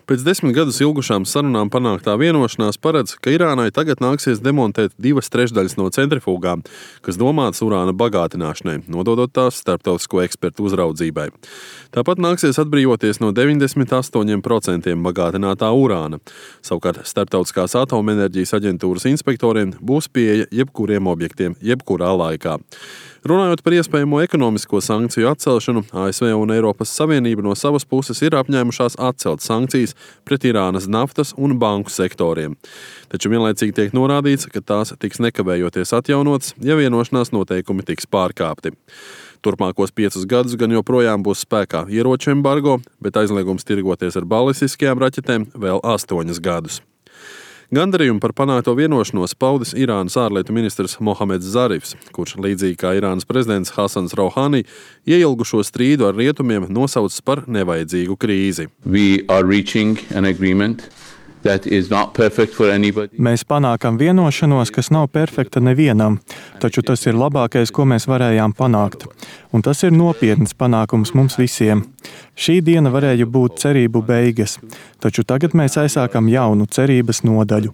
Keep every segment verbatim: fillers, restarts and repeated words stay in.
Pēc desmit gadus ilgušām sarunām panāktā vienošanās paredz, ka Irānai tagad nāksies demontēt divas trešdaļas no centrifugām, kas domātas urāna bagātināšanai, nododot tās starptautisko ekspertu uzraudzībai. Tāpat nāksies atbrīvoties no deviņdesmit astoņi procenti bagātinātā urāna. Savukārt starptautiskās atomenerģijas aģentūras inspektoriem būs pieeja jebkuriem objektiem, jebkurā laikā. Runājot par iespējamo ekonomisko sankciju atcelšanu, A S V un Eiropas Savienība no savas puses ir apņēmušās atcelt sankcijas pret Irānas naftas un banku sektoriem. Taču vienlaicīgi tiek norādīts, ka tās tiks nekavējoties atjaunotas, ja vienošanās noteikumi tiks pārkāpti. Turpmākos piecus gadus gan joprojām būs spēkā ieroču embargo, bet aizliegums tirgoties ar balistiskajām raķetēm vēl astoņus gadus. Gandarījumu par panākto vienošanos paudis Irānas ārlietu ministrs Mohameds Zarifs, kurš līdzīgi kā Irānas prezidents Hasans Rouhani ieilgušo strīdu ar rietumiem nosaucis par nevajadzīgu krīzi. Mēs panākam vienošanos, kas nav perfekta nevienam, taču tas ir labākais, ko mēs varējām panākt. Un tas ir nopietns panākums mums visiem. Šī diena varēja būt cerību beigas, taču tagad mēs aizsākam jaunu cerības nodaļu.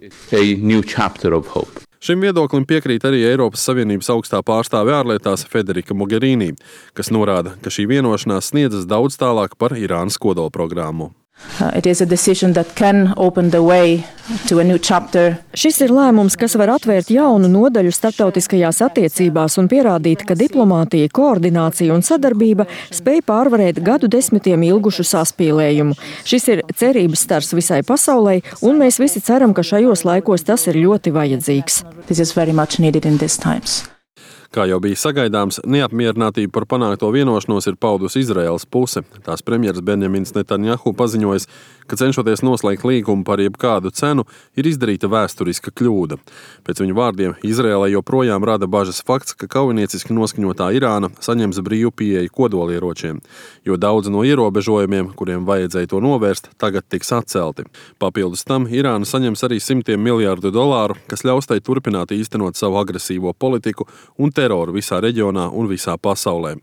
Šim viedoklim piekrīt arī Eiropas Savienības augstā pārstāve ārlietās Federica Mogherini, kas norāda, ka šī vienošanās sniedzas daudz tālāk par Irānas kodolprogrammu. Šis ir lēmums, kas var atvērt jaunu nodaļu starptautiskajās attiecībās un pierādīt, ka diplomātija, koordinācija un sadarbība spēj pārvarēt gadu desmitiem ilgušu saspīlējumu. Šis ir cerības stars visai pasaulē, un mēs visi ceram, ka šajos laikos tas ir ļoti vajadzīgs. Kā jau bija sagaidāms, neapmierinātību par panākto vienošanos ir paudusi Izraēlas puse. Tās premjeras Benjamins Netanjahu paziņojis, ka cenšoties noslēgt līgumu par jebkādu cenu, ir izdarīta vēsturiska kļūda. Pēc viņu vārdiem Izraēlai joprojām rada bažas fakts, ka kaujinieciski noskaņotā Irāna saņems brīvu pieeju kodolieročiem, jo daudz no ierobežojumiem, kuriem vajadzēja to novērst, tagad tiks atcelti. Papildus tam Irāna saņems arī simtiem miljārdu dolāru, kas ļaus tai turpināt īstenot savu agresīvo politiku un teroru visā reģionā un visā pasaulē.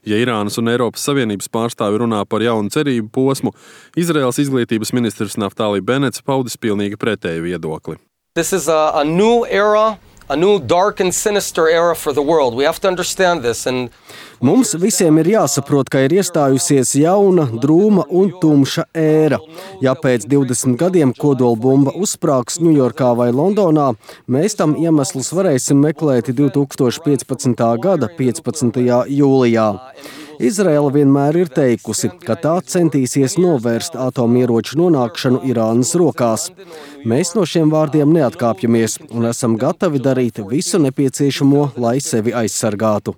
Ja Irānas un Eiropas Savienības pārstāvi runā par jaunu cerību posmu, Izraēlas izglītības ministrs Naftali Benets paudis pilnīgi pretēju viedokli. This is a, a new era, a new dark and sinister era for the world. We have to understand this. And Mums visiem ir jāsaprot, ka ir iestājusies jauna, drūma un tumša ēra. Ja pēc divdesmit gadiem kodolbumba uzsprāgs Ņujorkā vai Londonā, mēs tam iemeslus varēsim meklēt divi tūkstoši piecpadsmitā gada piecpadsmitajā jūlijā. Izraela vienmēr ir teikusi, ka tā centīsies novērst atomieroču nonākšanu Irānas rokās. Mēs no šiem vārdiem neatkāpjamies un esam gatavi darīt visu nepieciešamo, lai sevi aizsargātu.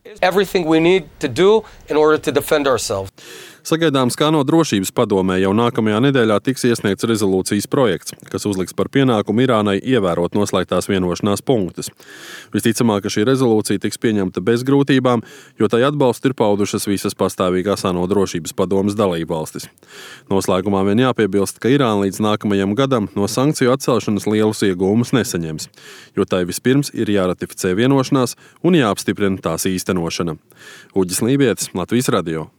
Sagaidāms, kā no drošības padomē jau nākamajā nedēļā tiks iesniegts rezolūcijas projekts, kas uzliks par pienākumu Irānai ievērot noslēgtās vienošanās punktus. Visticamāk, ka šī rezolūcija tiks pieņemta bez grūtībām, jo tai atbalstu ir paudušas visas pastāvīgās ANO drošības padomes dalībvalstis. Noslēgumā vien jāpiebilst, ka Irāna līdz nākamajam gadam no sankciju atcelšanas lielus ieguvumus nesaņems, jo tai vispirms ir jāratificē vienošanās un jāapstiprina tās īstenošana. Uģis Lībietis, Latvijas radio.